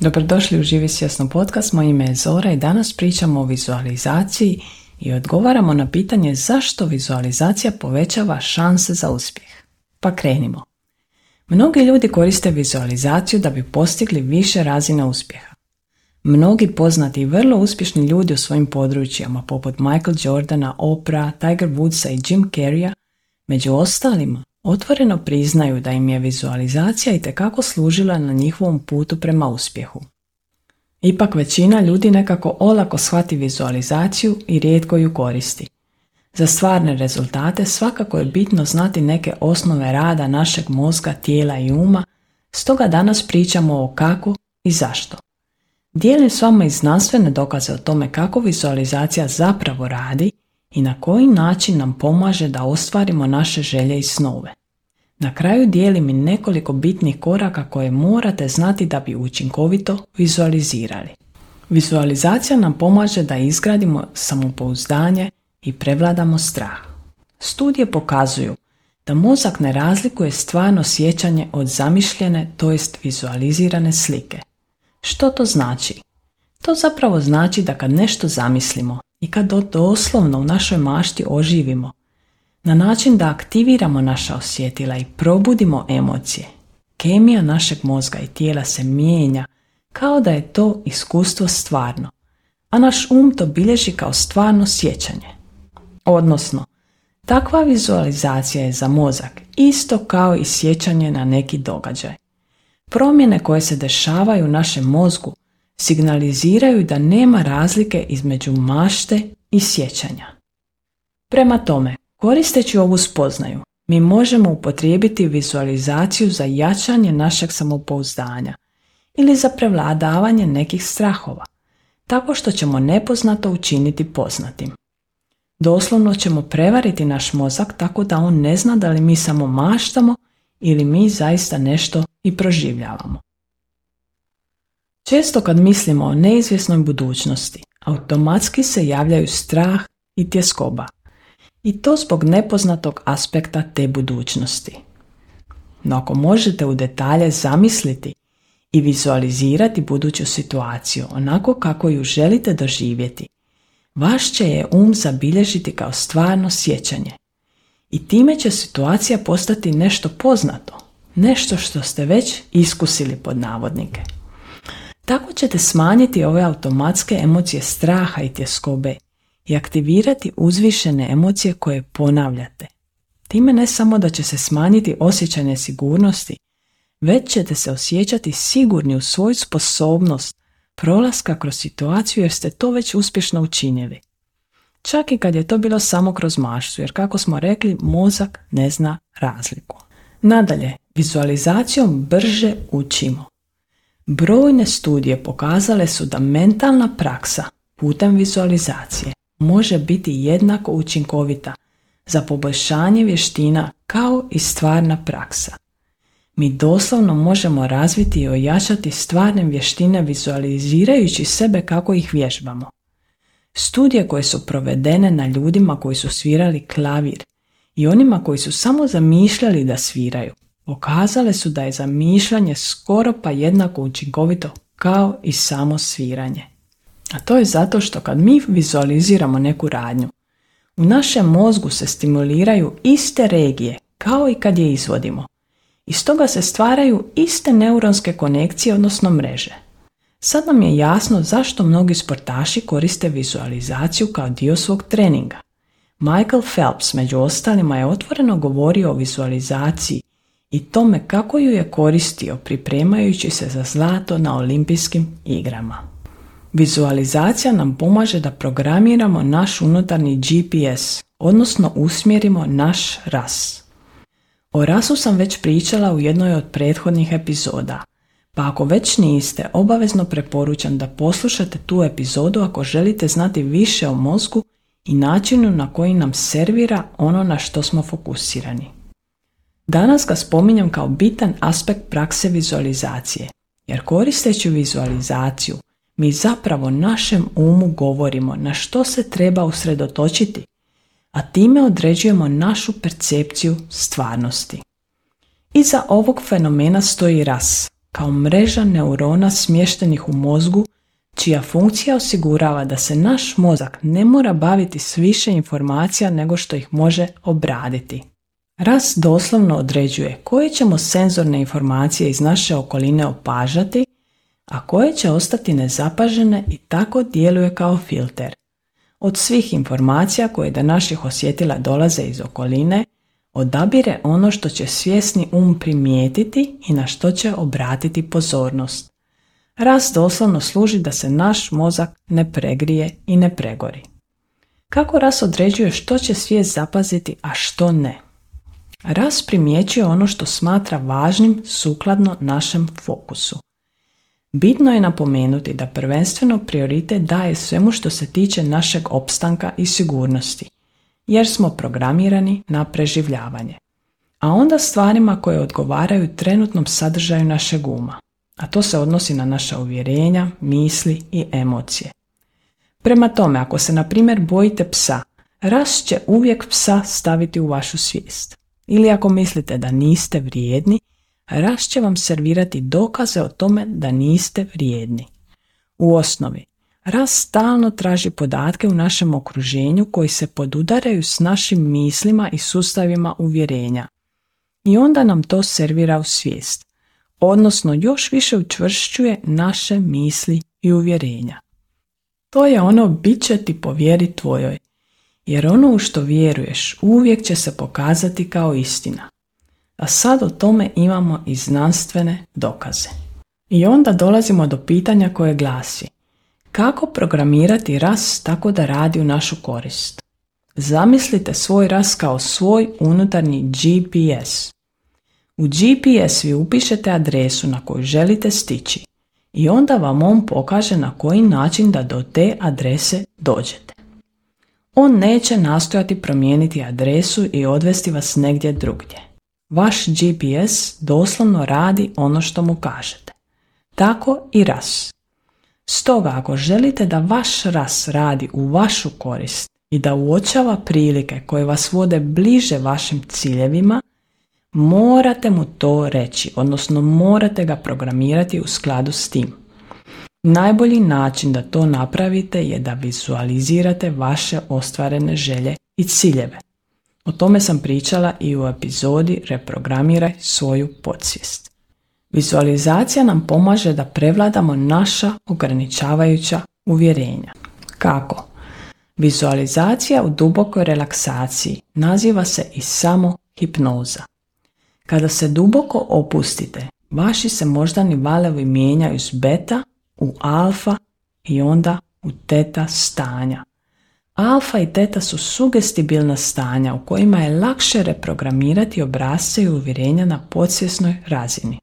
Dobrodošli u Živi svjesno podcast, moje ime je Zora i danas pričamo o vizualizaciji i odgovaramo na pitanje zašto vizualizacija povećava šanse za uspjeh. Pa krenimo. Mnogi ljudi koriste vizualizaciju da bi postigli više razine uspjeha. Mnogi poznati i vrlo uspješni ljudi u svojim područjima, poput Michael Jordana, Oprah, Tiger Woodsa i Jim Carreya, među ostalima, otvoreno priznaju da im je vizualizacija itekako služila na njihovom putu prema uspjehu. Ipak većina ljudi nekako olako shvati vizualizaciju i rijetko ju koristi. Za stvarne rezultate svakako je bitno znati neke osnove rada našeg mozga, tijela i uma, stoga danas pričamo o kako i zašto. Dijelim s vama i znanstvene dokaze o tome kako vizualizacija zapravo radi i na koji način nam pomaže da ostvarimo naše želje i snove. Na kraju dijelim i nekoliko bitnih koraka koje morate znati da bi učinkovito vizualizirali. Vizualizacija nam pomaže da izgradimo samopouzdanje i prevladamo strah. Studije pokazuju da mozak ne razlikuje stvarno sjećanje od zamišljene, to jest vizualizirane slike. Što to znači? To zapravo znači da kad nešto zamislimo i kad doslovno u našoj mašti oživimo, na način da aktiviramo naša osjetila i probudimo emocije, kemija našeg mozga i tijela se mijenja kao da je to iskustvo stvarno, a naš to bilježi kao stvarno sjećanje. Odnosno, takva vizualizacija je za mozak isto kao i sjećanje na neki događaj. Promjene koje se dešavaju u našem mozgu signaliziraju da nema razlike između mašte i sjećanja. Prema tome, koristeći ovu spoznaju, mi možemo upotrijebiti vizualizaciju za jačanje našeg samopouzdanja ili za prevladavanje nekih strahova, tako što ćemo nepoznato učiniti poznatim. Doslovno ćemo prevariti naš mozak tako da on ne zna da li mi samo maštamo ili mi zaista nešto i proživljavamo. Često kad mislimo o neizvjesnoj budućnosti, automatski se javljaju strah i tjeskoba. I to zbog nepoznatog aspekta te budućnosti. No ako možete u detalje zamisliti i vizualizirati buduću situaciju onako kako ju želite doživjeti, vaš će je zabilježiti kao stvarno sjećanje. I time će situacija postati nešto poznato, nešto što ste već iskusili pod navodnike. Tako ćete smanjiti ove automatske emocije straha i tjeskobe i aktivirati uzvišene emocije koje ponavljate. Time ne samo da će se smanjiti osjećaj nesigurnosti, već ćete se osjećati sigurni u svoju sposobnost prolaska kroz situaciju jer ste to već uspješno učinili. Čak i kad je to bilo samo kroz maštu, jer kako smo rekli, mozak ne zna razliku. Nadalje, vizualizacijom brže učimo. Brojne studije pokazale su da mentalna praksa putem vizualizacije može biti jednako učinkovita za poboljšanje vještina kao i stvarna praksa. Mi doslovno možemo razviti i ojačati stvarne vještine vizualizirajući sebe kako ih vježbamo. Studije koje su provedene na ljudima koji su svirali klavir i onima koji su samo zamišljali da sviraju, pokazale su da je zamišljanje skoro pa jednako učinkovito kao i samo sviranje. A to je zato što kad mi vizualiziramo neku radnju, u našem mozgu se stimuliraju iste regije kao i kad je izvodimo. I stoga se stvaraju iste neuronske konekcije, odnosno mreže. Sad nam je jasno zašto mnogi sportaši koriste vizualizaciju kao dio svog treninga. Michael Phelps među ostalima je otvoreno govorio o vizualizaciji i tome kako ju je koristio pripremajući se za zlato na olimpijskim igrama. Vizualizacija nam pomaže da programiramo naš unutarnji GPS, odnosno usmjerimo naš RAS. O RAS-u sam već pričala u jednoj od prethodnih epizoda, pa ako već niste, obavezno preporučam da poslušate tu epizodu ako želite znati više o mozgu i načinu na koji nam servira ono na što smo fokusirani. Danas ga spominjem kao bitan aspekt prakse vizualizacije, jer koristeći vizualizaciju mi zapravo našem umu govorimo na što se treba usredotočiti, a time određujemo našu percepciju stvarnosti. Iza ovog fenomena stoji RAS, kao mreža neurona smještenih u mozgu, čija funkcija osigurava da se naš mozak ne mora baviti s više informacija nego što ih može obraditi. Rast doslovno određuje koje ćemo senzorne informacije iz naše okoline opažati, a koje će ostati nezapažene i tako djeluje kao filter. Od svih informacija koje do naših osjetila dolaze iz okoline, odabire ono što će svjesni primijetiti i na što će obratiti pozornost. Rast doslovno služi da se naš mozak ne pregrije i ne pregori. Kako rast određuje što će svijest zapaziti, a što ne? Rast primjećuje ono što smatra važnim sukladno našem fokusu. Bitno je napomenuti da prvenstveno prioritet daje svemu što se tiče našeg opstanka i sigurnosti, jer smo programirani na preživljavanje, a onda stvarima koje odgovaraju trenutnom sadržaju našeg uma, a to se odnosi na naša uvjerenja, misli i emocije. Prema tome, ako se na primjer bojite psa, rast će uvijek psa staviti u vašu svijest. Ili ako mislite da niste vrijedni, rast će vam servirati dokaze o tome da niste vrijedni. U osnovi, rast stalno traži podatke u našem okruženju koji se podudaraju s našim mislima i sustavima uvjerenja. I onda nam to servira u svijest, odnosno još više učvršćuje naše misli i uvjerenja. To je ono bit će ti po vjeri tvojoj, jer ono u što vjeruješ uvijek će se pokazati kao istina. A sad o tome imamo i znanstvene dokaze. I onda dolazimo do pitanja koje glasi: kako programirati rast tako da radi u našu korist? Zamislite svoj rast kao svoj unutarnji GPS. U GPS vi upišete adresu na koju želite stići i onda vam on pokaže na koji način da do te adrese dođete. On neće nastojati promijeniti adresu i odvesti vas negdje drugdje. Vaš GPS doslovno radi ono što mu kažete. Tako i ras. Stoga ako želite da vaš ras radi u vašu korist i da uočava prilike koje vas vode bliže vašim ciljevima, morate mu to reći, odnosno morate ga programirati u skladu s tim. Najbolji način da to napravite je da vizualizirate vaše ostvarene želje i ciljeve. O tome sam pričala i u epizodi Reprogramiraj svoju podsvijest. Vizualizacija nam pomaže da prevladamo naša ograničavajuća uvjerenja. Kako? Vizualizacija u dubokoj relaksaciji naziva se i samo hipnoza. Kada se duboko opustite, vaši se moždani valovi mijenjaju s beta u alfa i onda u teta stanja. Alfa i teta su sugestibilna stanja u kojima je lakše reprogramirati obrasce i uvjerenja na podsvjesnoj razini.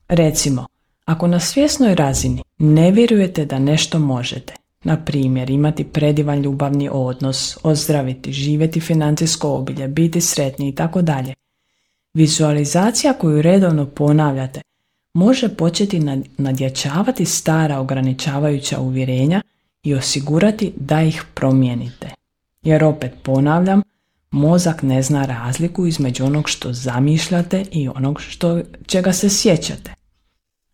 Recimo, ako na svjesnoj razini ne vjerujete da nešto možete, na primjer imati predivan ljubavni odnos, ozdraviti, živjeti financijsko obilje, biti sretni itd., vizualizacija koju redovno ponavljate može početi nadjačavati stara ograničavajuća uvjerenja i osigurati da ih promijenite. Jer opet ponavljam, mozak ne zna razliku između onog što zamišljate i onog čega se sjećate.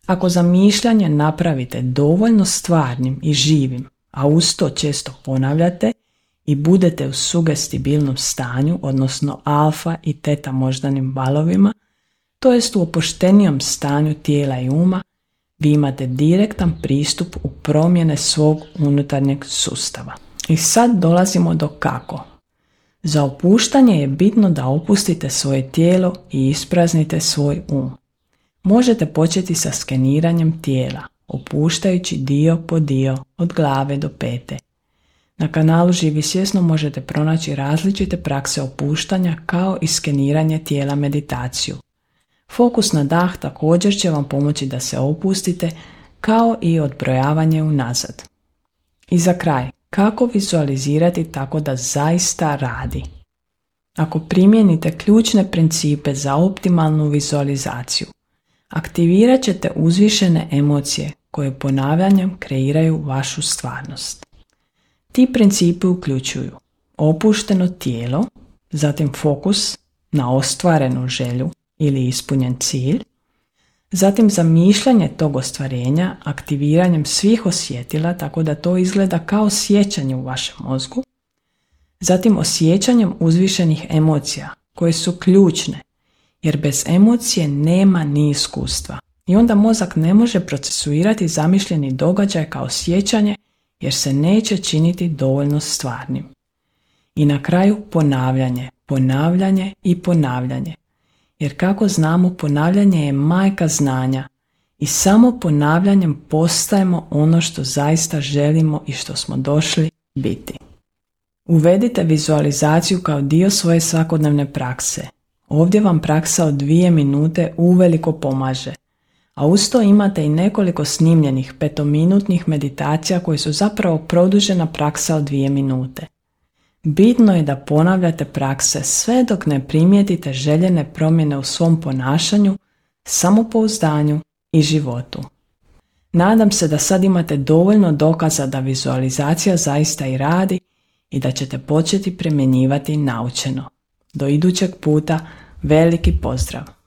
Ako zamišljanje napravite dovoljno stvarnim i živim, a uz to često ponavljate i budete u sugestibilnom stanju, odnosno alfa i teta moždanim valovima, to jest u opuštenijom stanju tijela i uma, vi imate direktan pristup u promjene svog unutarnjeg sustava. I sad dolazimo do kako. Za opuštanje je bitno da opustite svoje tijelo i ispraznite svoj Možete početi sa skeniranjem tijela, opuštajući dio po dio od glave do pete. Na kanalu Živi svjesno možete pronaći različite prakse opuštanja kao i skeniranje tijela meditaciju. Fokus na dah također će vam pomoći da se opustite, kao i odbrojavanje unazad. I za kraj, kako vizualizirati tako da zaista radi? Ako primijenite ključne principe za optimalnu vizualizaciju, aktivirat ćete uzvišene emocije koje ponavljanjem kreiraju vašu stvarnost. Ti principi uključuju opušteno tijelo, zatim fokus na ostvarenu želju ili ispunjen cilj, Zatim zamišljanje tog ostvarenja aktiviranjem svih osjetila tako da to izgleda kao sjećanje u vašem mozgu. Zatim osjećanjem uzvišenih emocija koje su ključne jer bez emocije nema ni iskustva i onda mozak ne može procesuirati zamišljeni događaj kao sjećanje jer se neće činiti dovoljno stvarnim. I na kraju ponavljanje, ponavljanje i ponavljanje. Jer kako znamo, ponavljanje je majka znanja i samo ponavljanjem postajemo ono što zaista želimo i što smo došli biti. Uvedite vizualizaciju kao dio svoje svakodnevne prakse. Ovdje vam praksa od 2 minute uveliko pomaže, a uz to imate i nekoliko snimljenih 5-minutnih meditacija koje su zapravo produžena praksa od 2 minute. Bitno je da ponavljate prakse sve dok ne primijetite željene promjene u svom ponašanju, samopouzdanju i životu. Nadam se da sad imate dovoljno dokaza da vizualizacija zaista i radi i da ćete početi primjenjivati naučeno. Do idućeg puta, veliki pozdrav!